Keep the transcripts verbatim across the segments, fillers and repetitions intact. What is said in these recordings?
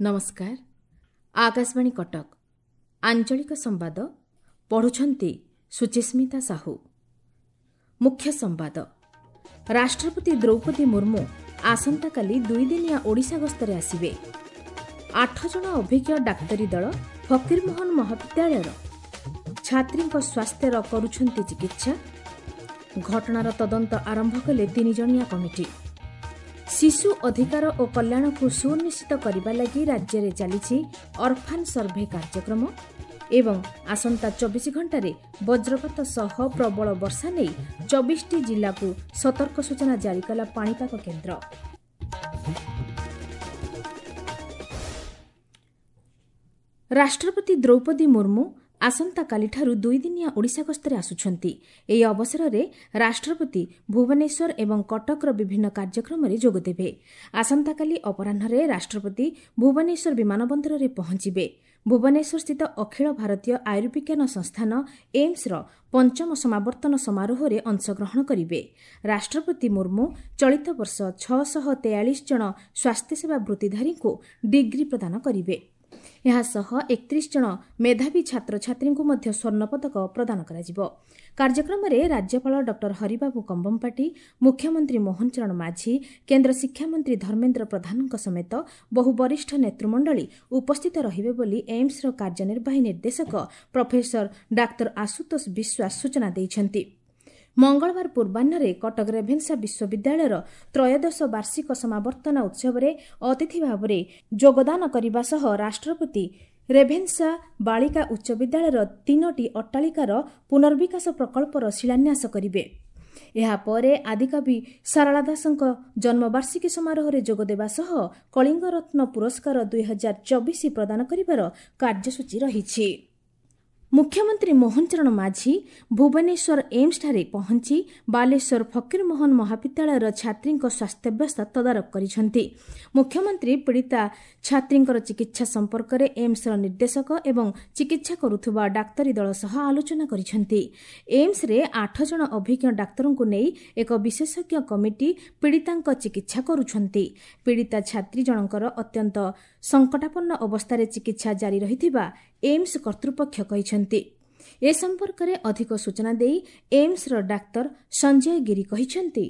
ନମସ୍କାର, ଆକାଶବାଣୀ କଟକ, ଆଞ୍ଚଳିକ ସମ୍ବାଦ ପଢ଼ୁଛନ୍ତି ସୁଚିସ୍ମିତା ସାହୁ। ମୁଖ୍ୟ ସମ୍ବାଦ। ରାଷ୍ଟ୍ରପତି ଦ୍ରୌପଦୀ ମୁର୍ମୁ ଆସନ୍ତାକାଲି ଦୁଇଦିନିଆ ଓଡ଼ିଶା ଗସ୍ତରେ ଆସିବେ। ଆଠ ଜଣ ଅଭିଜ୍ଞ ଡାକ୍ତରୀ ଦଳ ଫକୀରମୋହନ ମହାବିଦ୍ୟାଳୟର ଛାତ୍ରୀଙ୍କ ସ୍ୱାସ୍ଥ୍ୟର କରୁଛନ୍ତି ଚିକିତ୍ସା। ଘଟଣାର ତଦନ୍ତ ଆରମ୍ଭ କଲେ ତିନିଜଣିଆ କମିଟି। ଶିଶୁ ଅଧିକାର ଓ କଲ୍ୟାଣକୁ ସୁନିଶ୍ଚିତ କରିବା ଲାଗି ରାଜ୍ୟରେ ଚାଲିଛି ଅର୍ଫାନ୍ ସର୍ଭେ କାର୍ଯ୍ୟକ୍ରମ। ଏବଂ ଆସନ୍ତା ଚବିଶ ଘଣ୍ଟାରେ ବଜ୍ରପାତ ସହ ପ୍ରବଳ ବର୍ଷା ନେଇ ଚବିଶଟି ଜିଲ୍ଲାକୁ ସତର୍କ ସୂଚନା ଜାରି କଲା ପାଣିପାଗ କେନ୍ଦ୍ର। ରାଷ୍ଟ୍ରପତି ଦ୍ରୌପଦୀ ମୁର୍ମୁ ଆସନ୍ତାକାଲିଠାରୁ ଦୁଇଦିନିଆ ଓଡ଼ିଶା ଗସ୍ତରେ ଆସୁଛନ୍ତି। ଏହି ଅବସରରେ ରାଷ୍ଟ୍ରପତି ଭୁବନେଶ୍ୱର ଏବଂ କଟକର ବିଭିନ୍ନ କାର୍ଯ୍ୟକ୍ରମରେ ଯୋଗଦେବେ। ଆସନ୍ତାକାଲି ଅପରାହ୍ନରେ ରାଷ୍ଟ୍ରପତି ଭୁବନେଶ୍ୱର ବିମାନବନ୍ଦରରେ ପହଞ୍ଚିବେ। ଭୁବନେଶ୍ୱରସ୍ଥିତ ଅଖିଳ ଭାରତୀୟ ଆୟୁର୍ବିଜ୍ଞାନ ସଂସ୍ଥାନ ଏମ୍ସର ପଞ୍ଚମ ସମାବର୍ତ୍ତନ ସମାରୋହରେ ଅଂଶଗ୍ରହଣ କରିବେ। ରାଷ୍ଟ୍ରପତି ମୁର୍ମୁ ଚଳିତ ବର୍ଷ ଛଅଶହ ତେୟାଳିଶ ଜଣ ସ୍ୱାସ୍ଥ୍ୟସେବା ବୃତ୍ତିଧାରୀଙ୍କୁ ଡିଗ୍ରୀ ପ୍ରଦାନ କରିବେ। ଏହାସହ ଏକତିରିଶ ଜଣ ମେଧାବୀ ଛାତ୍ରଛାତ୍ରୀଙ୍କୁ ମଧ୍ୟ ସ୍ୱର୍ଣ୍ଣପଦକ ପ୍ରଦାନ କରାଯିବ। କାର୍ଯ୍ୟକ୍ରମରେ ରାଜ୍ୟପାଳ ଡକ୍ଟର ହରିବାବୁ କମ୍ବମପାଟି, ମୁଖ୍ୟମନ୍ତ୍ରୀ ମୋହନ ଚରଣ ମାଝୀ, କେନ୍ଦ୍ର ଶିକ୍ଷାମନ୍ତ୍ରୀ ଧର୍ମେନ୍ଦ୍ର ପ୍ରଧାନଙ୍କ ସମେତ ବହୁ ବରିଷ୍ଠ ନେତୃମଣ୍ଡଳୀ ଉପସ୍ଥିତ ରହିବେ ବୋଲି ଏମ୍ସର କାର୍ଯ୍ୟନିର୍ବାହୀ ନିର୍ଦ୍ଦେଶକ ପ୍ରଫେସର ଡାକ୍ତର ଆଶୁତୋଷ ବିଶ୍ୱାସ ସୂଚନା ଦେଇଛନ୍ତି। ମଙ୍ଗଳବାର ପୂର୍ବାହ୍ନରେ କଟକ ରେଭେନ୍ସା ବିଶ୍ୱବିଦ୍ୟାଳୟର ତ୍ରୟୋଦଶ ବାର୍ଷିକ ସମାବର୍ତ୍ତନ ଉତ୍ସବରେ ଅତିଥି ଭାବରେ ଯୋଗଦାନ କରିବା ସହ ରାଷ୍ଟ୍ରପତି ରେଭେନ୍ସା ବାଳିକା ଉଚ୍ଚ ବିଦ୍ୟାଳୟର ତିନୋଟି ଅଟ୍ଟାଳିକାର ପୁନର୍ବିକାଶ ପ୍ରକଳ୍ପର ଶିଳାନ୍ୟାସ କରିବେ। ଏହାପରେ ଆଦିକବି ସାରଳା ଦାସଙ୍କ ଜନ୍ମବାର୍ଷିକୀ ସମାରୋହରେ ଯୋଗଦେବା ସହ କଳିଙ୍ଗରତ୍ନ ପୁରସ୍କାର ଦୁଇ ହଜାର ଚବିଶ ପ୍ରଦାନ କରିବାର କାର୍ଯ୍ୟସୂଚୀ ରହିଛି। ମୁଖ୍ୟମନ୍ତ୍ରୀ ମୋହନ ଚରଣ ମାଝୀ ଭୁବନେଶ୍ୱର ଏମ୍ସଠାରେ ପହଞ୍ଚି ବାଲେଶ୍ୱର ଫକୀରମୋହନ ମହାବିଦ୍ୟାଳୟର ଛାତ୍ରୀଙ୍କ ସ୍ୱାସ୍ଥ୍ୟାବସ୍ଥା ତଦାରଖ କରିଛନ୍ତି। ମୁଖ୍ୟମନ୍ତ୍ରୀ ପୀଡ଼ିତା ଛାତ୍ରୀଙ୍କର ଚିକିତ୍ସା ସମ୍ପର୍କରେ ଏମ୍ସର ନିର୍ଦ୍ଦେଶକ ଏବଂ ଚିକିତ୍ସା କରୁଥିବା ଡାକ୍ତରୀ ଦଳ ସହ ଆଲୋଚନା କରିଛନ୍ତି। ଏମ୍ସରେ ଆଠ ଜଣ ଅଭିଜ୍ଞ ଡାକ୍ତରଙ୍କୁ ନେଇ ଏକ ବିଶେଷଜ୍ଞ କମିଟି ପୀଡ଼ିତାଙ୍କ ଚିକିତ୍ସା କରୁଛନ୍ତି। ପୀଡ଼ିତା ଛାତ୍ରୀ ଜଣଙ୍କର ଅତ୍ୟନ୍ତ ସଙ୍କଟାପନ୍ନ ଅବସ୍ଥାରେ ଚିକିତ୍ସା ଜାରି ରହିଥିବା ଏମ୍ସ କର୍ତ୍ତୃପକ୍ଷ କହିଛନ୍ତି। ଏ ସମ୍ପର୍କରେ ଅଧିକ ସୂଚନା ଦେଇ ଏମ୍ସର ଡାକ୍ତର ସଞ୍ଜୟ ଗିରି କହିଛନ୍ତି,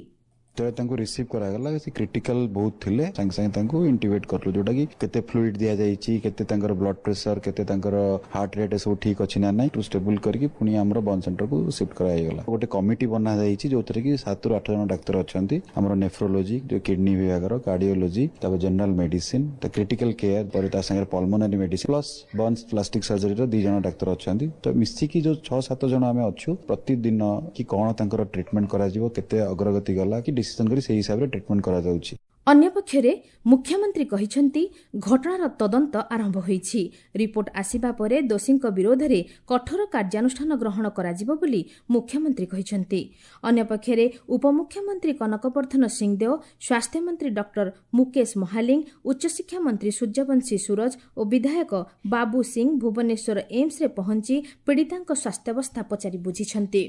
ଯେତେବେଳେ ତାଙ୍କୁ ରିସିଭ୍ କରାଗଲା ସେ କ୍ରିଟିକାଲ ବହୁତ ଥିଲେ। ସାଙ୍ଗେ ସାଙ୍ଗେ ତାଙ୍କୁ ଇଣ୍ଟିବେଟ୍ କଲୁ, ଯୋଉଟାକି କେତେ ଫ୍ଲୁଇଡ୍ ଦିଆଯାଇଛି, କେତେ ତାଙ୍କର ବ୍ଲଡ୍ ପ୍ରେସର, କେତେ ତାଙ୍କର ହାର୍ଟ ରେଟ୍ ସବୁ ଠିକ୍ ଅଛି ନା ନାହିଁ, ଷ୍ଟେବୁଲ କରିକି ପୁଣି ଆମର ବର୍ନ ସେଣ୍ଟରକୁ ସିଫ୍ଟ କରାଯାଇଗଲା। ଗୋଟେ କମିଟି ବନାଯାଇଛି ଯୋଉଥିରେ କି ସାତରୁ ଆଠ ଜଣ ଡାକ୍ତର ଅଛନ୍ତି। ଆମର ନେଫ୍ରୋଲୋଜି, ଯୋଉ କିଡନୀ ବିଭାଗର, କାର୍ଡିଓଲୋଜି, ତାପରେ ଜେନେରାଲ ମେଡିସିନ, ତା କ୍ରିଟିକାଲ କେୟାର, ପରେ ତା ସାଙ୍ଗରେ pulmonary medicine plus burns plastic ସର୍ଜରୀର ଦି ଜଣ ଡାକ୍ତର ଅଛନ୍ତି। ତ ମିଶିକି ଯୋଉ ଛଅ ସାତ ଜଣ ଆମେ ଅଛୁ, ପ୍ରତିଦିନ କି କଣ ତାଙ୍କର ଟ୍ରିଟମେଣ୍ଟ କରାଯିବ, କେତେ ଅଗ୍ରଗତି ଗଲା କି ଡିସିଜନ କରି ସେଇ ହିସାବରେ ଟ୍ରିଟମେଣ୍ଟ କରାଯାଉଛି। ଅନ୍ୟପକ୍ଷରେ ମୁଖ୍ୟମନ୍ତ୍ରୀ କହିଛନ୍ତି, ଘଟଣାର ତଦନ୍ତ ଆରମ୍ଭ ହୋଇଛି। ରିପୋର୍ଟ ଆସିବା ପରେ ଦୋଷୀଙ୍କ ବିରୋଧରେ କଠୋର କାର୍ଯ୍ୟାନୁଷ୍ଠାନ ଗ୍ରହଣ କରାଯିବ ବୋଲି ମୁଖ୍ୟମନ୍ତ୍ରୀ କହିଛନ୍ତି। ଅନ୍ୟପକ୍ଷରେ ଉପମୁଖ୍ୟମନ୍ତ୍ରୀ କନକବର୍ଦ୍ଧନ ସିଂଦେଓ, ସ୍ୱାସ୍ଥ୍ୟମନ୍ତ୍ରୀ ଡକ୍ଟର ମୁକେଶ ମହାଲିଙ୍ଗ, ଉଚ୍ଚଶିକ୍ଷା ମନ୍ତ୍ରୀ ସୂର୍ଯ୍ୟବଂଶୀ ସୂରଜ ଓ ବିଧାୟକ ବାବୁ ସିଂ ଭୁବନେଶ୍ୱର ଏମ୍ସରେ ପହଞ୍ଚି ପୀଡ଼ିତାଙ୍କ ସ୍ୱାସ୍ଥ୍ୟାବସ୍ଥା ପଚାରି ବୁଝିଛନ୍ତି।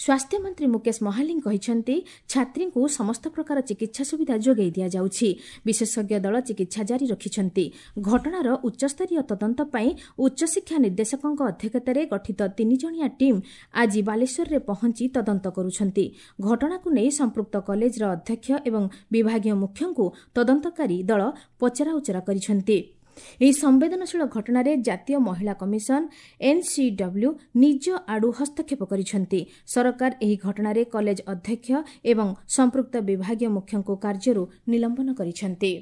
ସ୍ୱାସ୍ଥ୍ୟମନ୍ତ୍ରୀ ମୁକେଶ ମହାଲିଙ୍ଗ କହିଛନ୍ତି, ଛାତ୍ରୀଙ୍କୁ ସମସ୍ତ ପ୍ରକାର ଚିକିତ୍ସା ସୁବିଧା ଯୋଗାଇ ଦିଆଯାଉଛି। ବିଶେଷଜ୍ଞ ଦଳ ଚିକିତ୍ସା ଜାରି ରଖିଛନ୍ତି। ଘଟଣାର ଉଚ୍ଚସ୍ତରୀୟ ତଦନ୍ତ ପାଇଁ ଉଚ୍ଚଶିକ୍ଷା ନିର୍ଦ୍ଦେଶକଙ୍କ ଅଧ୍ୟକ୍ଷତାରେ ଗଠିତ ତିନିଜଣିଆ ଟିମ୍ ଆଜି ବାଲେଶ୍ୱରରେ ପହଞ୍ଚି ତଦନ୍ତ କରୁଛନ୍ତି। ଘଟଣାକୁ ନେଇ ସମ୍ପୃକ୍ତ କଲେଜର ଅଧ୍ୟକ୍ଷ ଏବଂ ବିଭାଗୀୟ ମୁଖ୍ୟଙ୍କୁ ତଦନ୍ତକାରୀ ଦଳ ପଚରାଉଚରା କରିଛନ୍ତି। ଏହି ସମ୍ବେଦନଶୀଳ ଘଟଣାରେ ଜାତୀୟ ମହିଳା କମିଶନ ଏନ୍ସିଡବ୍ଲ୍ୟୁ ନିଜ ଆଡୁ ହସ୍ତକ୍ଷେପ କରିଛନ୍ତି। ସରକାର ଏହି ଘଟଣାରେ କଲେଜ ଅଧ୍ୟକ୍ଷ ଏବଂ ସମ୍ପୃକ୍ତ ବିଭାଗୀୟ ମୁଖ୍ୟଙ୍କୁ କାର୍ଯ୍ୟରୁ ନିଲମ୍ବନ କରିଛନ୍ତି।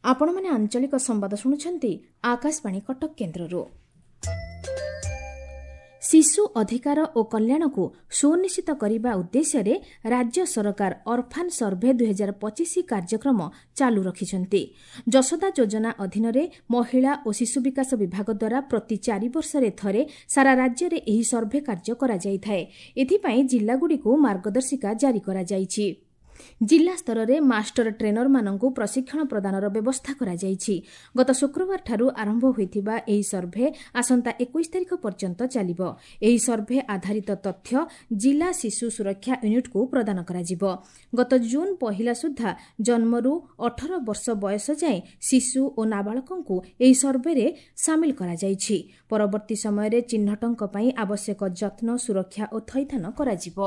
ଆପଣମାନେ ଆଞ୍ଚଳିକ ସମ୍ବାଦ ଶୁଣୁଛନ୍ତି ଆକାଶବାଣୀ କଟକ କେନ୍ଦ୍ରରୁ। ଶିଶୁ ଅଧିକାର ଓ କଲ୍ୟାଣକୁ ସୁନିଶ୍ଚିତ କରିବା ଉଦ୍ଦେଶ୍ୟରେ ରାଜ୍ୟ ସରକାର ଅର୍ଫାନ୍ ସର୍ଭେ ଦୁଇ ହଜାର ପଚିଶ କାର୍ଯ୍ୟକ୍ରମ ଚାଲୁ ରଖିଛନ୍ତି। ଯଶୋଦା ଯୋଜନା ଅଧୀନରେ ମହିଳା ଓ ଶିଶୁ ବିକାଶ ବିଭାଗ ଦ୍ୱାରା ପ୍ରତି ଚାରି ବର୍ଷରେ ଥରେ ସାରା ରାଜ୍ୟରେ ଏହି ସର୍ଭେ କାର୍ଯ୍ୟ କରାଯାଇଥାଏ। ଏଥିପାଇଁ ଜିଲ୍ଲାଗୁଡ଼ିକୁ ମାର୍ଗଦର୍ଶିକା ଜାରି କରାଯାଇଛି। ଜିଲ୍ଲା ସ୍ତରରେ ମାଷ୍ଟର ଟ୍ରେନରମାନଙ୍କୁ ପ୍ରଶିକ୍ଷଣ ପ୍ରଦାନର ବ୍ୟବସ୍ଥା କରାଯାଇଛି। ଗତ ଶୁକ୍ରବାରଠାରୁ ଆରମ୍ଭ ହୋଇଥିବା ଏହି ସର୍ଭେ ଆସନ୍ତା ଏକୋଇଶ ତାରିଖ ପର୍ଯ୍ୟନ୍ତ ଚାଲିବ। ଏହି ସର୍ଭେ ଆଧାରିତ ତଥ୍ୟ ଜିଲ୍ଲା ଶିଶୁ ସୁରକ୍ଷା ୟୁନିଟ୍କୁ ପ୍ରଦାନ କରାଯିବ। ଗତ ଜୁନ୍ ପହିଲା ସୁଦ୍ଧା ଜନ୍ମରୁ ଅଠର ବର୍ଷ ବୟସ ଯାଏଁ ଶିଶୁ ଓ ନାବାଳକଙ୍କୁ ଏହି ସର୍ଭେରେ ସାମିଲ କରାଯାଇଛି। ପରବର୍ତ୍ତୀ ସମୟରେ ଚିହ୍ନଟଙ୍କ ପାଇଁ ଆବଶ୍ୟକ ଯତ୍ନ, ସୁରକ୍ଷା ଓ ଥଇଥାନ କରାଯିବ।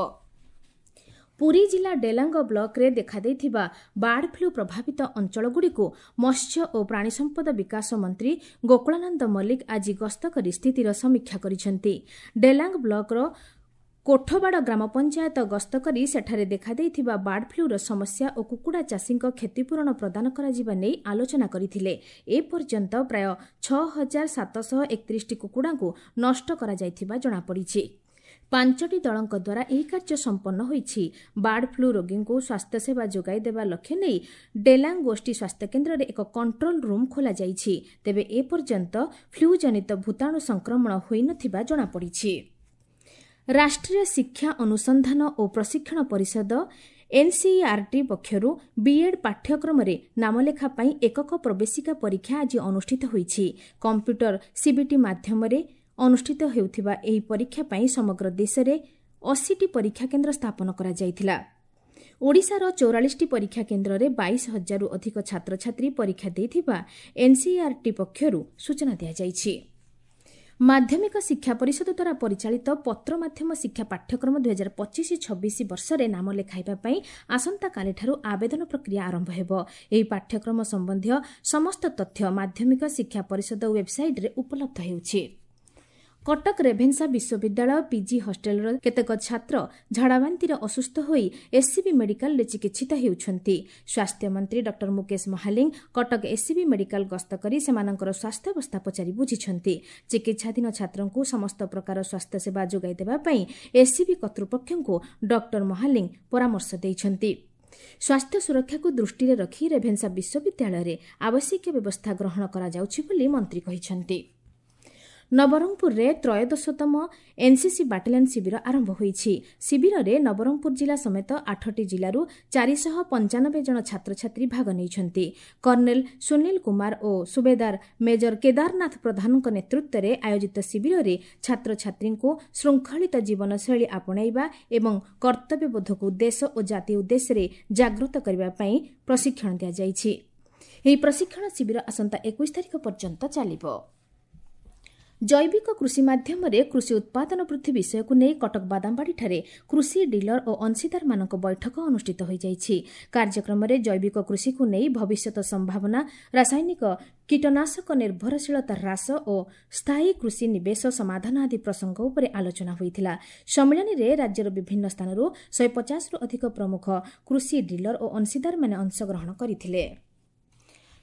ପୁରୀ ଜିଲ୍ଲା ଡେଲାଙ୍ଗ ବ୍ଲକରେ ଦେଖାଦେଇଥିବା ବାର୍ଡ ଫ୍ଲୁ ପ୍ରଭାବିତ ଅଞ୍ଚଳଗୁଡ଼ିକୁ ମତ୍ସ୍ୟ ଓ ପ୍ରାଣୀସମ୍ପଦ ବିକାଶ ମନ୍ତ୍ରୀ ଗୋକୁଳାନନ୍ଦ ମଲ୍ଲିକ ଆଜି ଗସ୍ତ କରି ସ୍ଥିତିର ସମୀକ୍ଷା କରିଛନ୍ତି। ଡେଲାଙ୍ଗ ବ୍ଲକର କୋଠବାଡ଼ ଗ୍ରାମପଞ୍ଚାୟତ ଗସ୍ତ କରି ସେଠାରେ ଦେଖାଦେଇଥିବା ବାର୍ଡ ଫ୍ଲୁର ସମସ୍ୟା ଓ କୁକୁଡ଼ା ଚାଷୀଙ୍କ କ୍ଷତିପୂରଣ ପ୍ରଦାନ କରାଯିବା ନେଇ ଆଲୋଚନା କରିଥିଲେ। ଏପର୍ଯ୍ୟନ୍ତ ପ୍ରାୟ ଛଅ ହଜାର ସାତଶହ ଏକତିରିଶଟି କୁକୁଡ଼ାଙ୍କୁ ନଷ୍ଟ କରାଯାଇଥିବା ଜଣାପଡ଼ିଛି। ପାଞ୍ଚଟି ଦଳଙ୍କ ଦ୍ୱାରା ଏହି କାର୍ଯ୍ୟ ସମ୍ପନ୍ନ ହୋଇଛି। ବାର୍ଡ ଫ୍ଲୁ ରୋଗୀଙ୍କୁ ସ୍ୱାସ୍ଥ୍ୟସେବା ଯୋଗାଇ ଦେବା ଲକ୍ଷ୍ୟ ନେଇ ଡେଲାଙ୍ଗ ଗୋଷ୍ଠୀ ସ୍ୱାସ୍ଥ୍ୟକେନ୍ଦ୍ରରେ ଏକ କଣ୍ଟ୍ରୋଲ ରୁମ୍ ଖୋଲାଯାଇଛି। ତେବେ ଏପର୍ଯ୍ୟନ୍ତ ଫ୍ଲୁ ଜନିତ ଭୂତାଣୁ ସଂକ୍ରମଣ ହୋଇନଥିବା ଜଣାପଡ଼ିଛି। ରାଷ୍ଟ୍ରୀୟ ଶିକ୍ଷା ଅନୁସନ୍ଧାନ ଓ ପ୍ରଶିକ୍ଷଣ ପରିଷଦ ଏନ୍ସିଇଆର୍ଟି ପକ୍ଷରୁ ବିଏଡ୍ ପାଠ୍ୟକ୍ରମରେ ନାମଲେଖା ପାଇଁ ଏକକ ପ୍ରବେଶିକା ପରୀକ୍ଷା ଆଜି ଅନୁଷ୍ଠିତ ହୋଇଛି। କମ୍ପ୍ୟୁଟର ସିବିଟି ମାଧ୍ୟମରେ ଅନୁଷ୍ଠିତ ହେଉଥିବା ଏହି ପରୀକ୍ଷା ପାଇଁ ସମଗ୍ର ଦେଶରେ ଅଶୀଟି ପରୀକ୍ଷା କେନ୍ଦ୍ର ସ୍ଥାପନ କରାଯାଇଥିଲା। ଓଡ଼ିଶାର ଚଉରାଳିଶଟି ପରୀକ୍ଷା କେନ୍ଦ୍ରରେ ବାଇଶ ହଜାରରୁ ଅଧିକ ଛାତ୍ରଛାତ୍ରୀ ପରୀକ୍ଷା ଦେଇଥିବା ଏନ୍ସିଇଆର୍ଟି ପକ୍ଷରୁ ସୂଚନା ଦିଆଯାଇଛି। ମାଧ୍ୟମିକ ଶିକ୍ଷା ପରିଷଦ ଦ୍ୱାରା ପରିଚାଳିତ ପତ୍ର ମାଧ୍ୟମ ଶିକ୍ଷା ପାଠ୍ୟକ୍ରମ ଦୁଇହଜାର ପଚିଶ ଛବିଶ ବର୍ଷରେ ନାମ ଲେଖାଇବା ପାଇଁ ଆସନ୍ତାକାଲିଠାରୁ ଆବେଦନ ପ୍ରକ୍ରିୟା ଆରମ୍ଭ ହେବ। ଏହି ପାଠ୍ୟକ୍ରମ ସମ୍ବନ୍ଧୀୟ ସମସ୍ତ ତଥ୍ୟ ମାଧ୍ୟମିକ ଶିକ୍ଷା ପରିଷଦ ୱେବ୍ସାଇଟ୍ରେ ଉପଲବ୍ଧ ହେଉଛି। କଟକ ରେଭେନ୍ସା ବିଶ୍ୱବିଦ୍ୟାଳୟ ପିଜି ହଷ୍ଟେଲର କେତେକ ଛାତ୍ର ଝାଡ଼ାବାନ୍ତିରେ ଅସୁସ୍ଥ ହୋଇ ଏସ୍ସିବି ମେଡିକାଲରେ ଚିକିତ୍ସିତ ହେଉଛନ୍ତି। ସ୍ୱାସ୍ଥ୍ୟମନ୍ତ୍ରୀ doctor Mukesh Mahaling Cuttack SCB medical ଗସ୍ତ କରି ସେମାନଙ୍କର ସ୍ୱାସ୍ଥ୍ୟାବସ୍ଥା ପଚାରି ବୁଝିଛନ୍ତି। ଚିକିତ୍ସାଧୀନ ଛାତ୍ରଙ୍କୁ ସମସ୍ତ ପ୍ରକାର ସ୍ୱାସ୍ଥ୍ୟସେବା ଯୋଗାଇ ଦେବା ପାଇଁ ଏସ୍ସିବି କର୍ତ୍ତୃପକ୍ଷଙ୍କୁ ଡକ୍ଟର ମହାଲିଙ୍ଗ ପରାମର୍ଶ ଦେଇଛନ୍ତି। ସ୍ୱାସ୍ଥ୍ୟ ସୁରକ୍ଷାକୁ ଦୃଷ୍ଟିରେ ରଖି ରେଭେନ୍ସା ବିଶ୍ୱବିଦ୍ୟାଳୟରେ ଆବଶ୍ୟକୀୟ ବ୍ୟବସ୍ଥା ଗ୍ରହଣ କରାଯାଉଛି ବୋଲି ମନ୍ତ୍ରୀ କହିଛନ୍ତି। ନବରଙ୍ଗପୁରରେ ତ୍ରୟୋଦଶତମ ଏନ୍ସିସି ବାଟାଲିୟନ ଶିବିର ଆରମ୍ଭ ହୋଇଛି। ଶିବିରରେ ନବରଙ୍ଗପୁର ଜିଲ୍ଲା ସମେତ ଆଠଟି ଜିଲ୍ଲାରୁ ଚାରିଶହ ପଞ୍ଚାନବେ ଜଣ ଛାତ୍ରଛାତ୍ରୀ ଭାଗ ନେଇଛନ୍ତି। କର୍ଣ୍ଣେଲ ସୁନୀଲ କୁମାର ଓ ସୁବେଦାର ମେଜର କେଦାରନାଥ ପ୍ରଧାନଙ୍କ ନେତୃତ୍ୱରେ ଆୟୋଜିତ ଶିବିରରେ ଛାତ୍ରଛାତ୍ରୀଙ୍କୁ ଶୃଙ୍ଖଳିତ ଜୀବନଶୈଳୀ ଆପଣେଇବା ଏବଂ କର୍ତ୍ତବ୍ୟବୋଧକୁ ଦେଶ ଓ ଜାତି ଉଦ୍ଦେଶ୍ୟରେ ଜାଗ୍ରତ କରିବା ପାଇଁ ପ୍ରଶିକ୍ଷଣ ଦିଆଯାଇଛି। ଏହି ପ୍ରଶିକ୍ଷଣ ଶିବିର ଆସନ୍ତା ଏକୋଇଶ ତାରିଖ ପର୍ଯ୍ୟନ୍ତ ଚାଲିବ। ଜୈବିକ କୃଷି ମାଧ୍ୟମରେ କୃଷି ଉତ୍ପାଦନ ବୃଦ୍ଧି ବିଷୟକୁ ନେଇ କଟକ ବାଦାମବାଡ଼ିଠାରେ କୃଷି ଡିଲର ଓ ଅଂଶୀଦାରମାନଙ୍କ ବୈଠକ ଅନୁଷ୍ଠିତ ହୋଇଯାଇଛି। କାର୍ଯ୍ୟକ୍ରମରେ ଜୈବିକ କୃଷିକୁ ନେଇ ଭବିଷ୍ୟତ ସମ୍ଭାବନା, ରାସାୟନିକ କୀଟନାଶକ ନିର୍ଭରଶୀଳତା ହ୍ରାସ ଓ ସ୍ଥାୟୀ କୃଷି ନିବେଶ ସମାଧାନ ଆଦି ପ୍ରସଙ୍ଗ ଉପରେ ଆଲୋଚନା ହୋଇଥିଲା। ସମ୍ମିଳନୀରେ ରାଜ୍ୟର ବିଭିନ୍ନ ସ୍ଥାନରୁ ଶହେ ପଚାଶରୁ ଅଧିକ ପ୍ରମୁଖ କୃଷି ଡିଲର ଓ ଅଂଶୀଦାରମାନେ ଅଂଶଗ୍ରହଣ କରିଥିଲେ।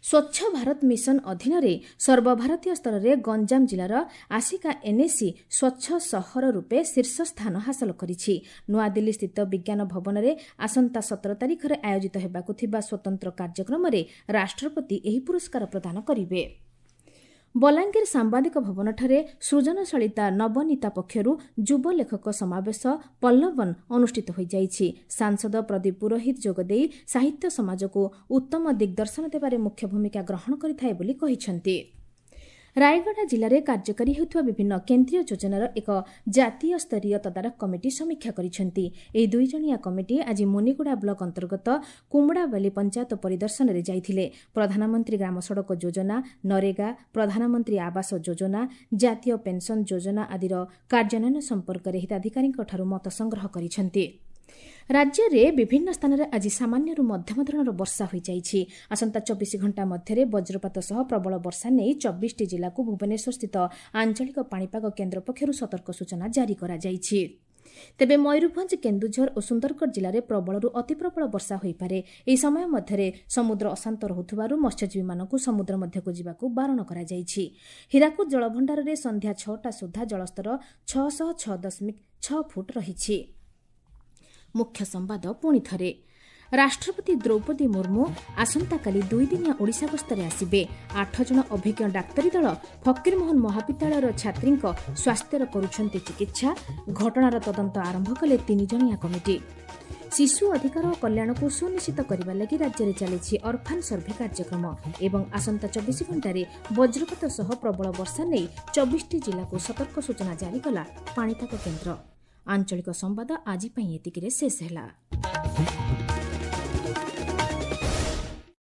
ସ୍ୱଚ୍ଛ ଭାରତ ମିଶନ ଅଧୀନରେ ସର୍ବଭାରତୀୟ ସ୍ତରରେ ଗଞ୍ଜାମ ଜିଲ୍ଲାର ଆସିକା ଏନ୍ଏସି ସ୍ୱଚ୍ଛ ସହର ରୂପେ ଶୀର୍ଷ ସ୍ଥାନ ହାସଲ କରିଛି। ନୂଆଦିଲ୍ଲୀ ସ୍ଥିତ ବିଜ୍ଞାନ ଭବନରେ ଆସନ୍ତା ସତର ତାରିଖରେ ଆୟୋଜିତ ହେବାକୁ ଥିବା ସ୍ୱତନ୍ତ୍ର କାର୍ଯ୍ୟକ୍ରମରେ ରାଷ୍ଟ୍ରପତି ଏହି ପୁରସ୍କାର ପ୍ରଦାନ କରିବେ। ବଲାଙ୍ଗୀର ସାମ୍ବାଦିକ ଭବନଠାରେ ସୃଜନଶୀଳତା ନବନୀତା ପକ୍ଷରୁ ଯୁବ ଲେଖକ ସମାବେଶ ପଲ୍ଲବନ ଅନୁଷ୍ଠିତ ହୋଇଯାଇଛି। ସାଂସଦ ପ୍ରଦୀପ ପୁରୋହିତ ଯୋଗଦେଇ ସାହିତ୍ୟ ସମାଜକୁ ଉତ୍ତମ ଦିଗ୍ଦର୍ଶନ ଦେବାରେ ମୁଖ୍ୟ ଭୂମିକା ଗ୍ରହଣ କରିଥାଏ ବୋଲି କହିଛନ୍ତି। ରାୟଗଡ଼ା ଜିଲ୍ଲାରେ କାର୍ଯ୍ୟକାରୀ ହେଉଥିବା ବିଭିନ୍ନ କେନ୍ଦ୍ରୀୟ ଯୋଜନାର ଏକ ଜାତୀୟ ସ୍ତରୀୟ ତଦାରଖ କମିଟି ସମୀକ୍ଷା କରିଛନ୍ତି। ଏହି ଦୁଇଜଣିଆ କମିଟି ଆଜି ମୁନିଗୁଡ଼ା ବ୍ଲକ ଅନ୍ତର୍ଗତ କୁମୁଡ଼ାବାଲି ପଞ୍ଚାୟତ ପରିଦର୍ଶନରେ ଯାଇଥିଲେ। ପ୍ରଧାନମନ୍ତ୍ରୀ ଗ୍ରାମ ସଡ଼କ ଯୋଜନା, ନରେଗା, ପ୍ରଧାନମନ୍ତ୍ରୀ ଆବାସ ଯୋଜନା, ଜାତୀୟ ପେନ୍ସନ୍ ଯୋଜନା ଆଦିର କାର୍ଯ୍ୟାନ୍ୱୟନ ସମ୍ପର୍କରେ ହିତାଧିକାରୀଙ୍କଠାରୁ ମତ ସଂଗ୍ରହ କରିଛନ୍ତି। ରାଜ୍ୟରେ ବିଭିନ୍ନ ସ୍ଥାନରେ ଆଜି ସାମାନ୍ୟରୁ ମଧ୍ୟମ ଧରଣର ବର୍ଷା ହୋଇଯାଇଛି। ଆସନ୍ତା ଚବିଶ ଘଣ୍ଟା ମଧ୍ୟରେ ବଜ୍ରପାତ ସହ ପ୍ରବଳ ବର୍ଷା ନେଇ ଚବିଶଟି ଜିଲ୍ଲାକୁ ଭୁବନେଶ୍ୱରସ୍ଥିତ ଆଞ୍ଚଳିକ ପାଣିପାଗ କେନ୍ଦ୍ର ପକ୍ଷରୁ ସତର୍କ ସୂଚନା ଜାରି କରାଯାଇଛି। ତେବେ ମୟୂରଭଞ୍ଜ, କେନ୍ଦୁଝର ଓ ସୁନ୍ଦରଗଡ଼ ଜିଲ୍ଲାରେ ପ୍ରବଳରୁ ଅତିପ୍ରବଳ ବର୍ଷା ହୋଇପାରେ। ଏହି ସମୟ ମଧ୍ୟରେ ସମୁଦ୍ର ଅଶାନ୍ତ ରହୁଥିବାରୁ ମତ୍ସ୍ୟଜୀବୀମାନଙ୍କୁ ସମୁଦ୍ର ମଧ୍ୟକୁ ଯିବାକୁ ବାରଣ କରାଯାଇଛି। ହୀରାକୁଦ ଜଳଭଣ୍ଡାରରେ ସନ୍ଧ୍ୟା ଛଅଟା ସୁଦ୍ଧା ଜଳସ୍ତର ଛଅଶହ ଛଅ ଦଶମିକ ଛଅ ଫୁଟ ରହିଛି। ମୁଖ୍ୟ ସମ୍ବାଦ ପୁଣି ଥରେ। ରାଷ୍ଟ୍ରପତି ଦ୍ରୌପଦୀ ମୁର୍ମୁ ଆସନ୍ତାକାଲି ଦୁଇଦିନିଆ ଓଡ଼ିଶା ଗସ୍ତରେ ଆସିବେ। ଆଠ ଜଣ ଅଭିଜ୍ଞ ଡାକ୍ତରୀ ଦଳ ଫକୀରମୋହନ ମହାବିଦ୍ୟାଳୟର ଛାତ୍ରୀଙ୍କ ସ୍ୱାସ୍ଥ୍ୟର କରୁଛନ୍ତି ଚିକିତ୍ସା। ଘଟଣାର ତଦନ୍ତ ଆରମ୍ଭ କଲେ ତିନିଜଣିଆ କମିଟି। ଶିଶୁ ଅଧିକାର ଓ କଲ୍ୟାଣକୁ ସୁନିଶ୍ଚିତ କରିବା ଲାଗି ରାଜ୍ୟରେ ଚାଲିଛି ଅର୍ଫାନ୍ ସର୍ଭେ କାର୍ଯ୍ୟକ୍ରମ ଏବଂ ଆସନ୍ତା ଚବିଶ ଘଣ୍ଟାରେ ବଜ୍ରପାତ ସହ ପ୍ରବଳ ବର୍ଷା ନେଇ ଚବିଶଟି ଜିଲ୍ଲାକୁ ସତର୍କ ସୂଚନା ଜାରି କଲା ପାଣିପାଗ କେନ୍ଦ୍ର। ଆଞ୍ଚଳିକ ସମ୍ବାଦ ଆଜି ପାଇଁ ଏତିକିରେ ଶେଷ ହେଲା।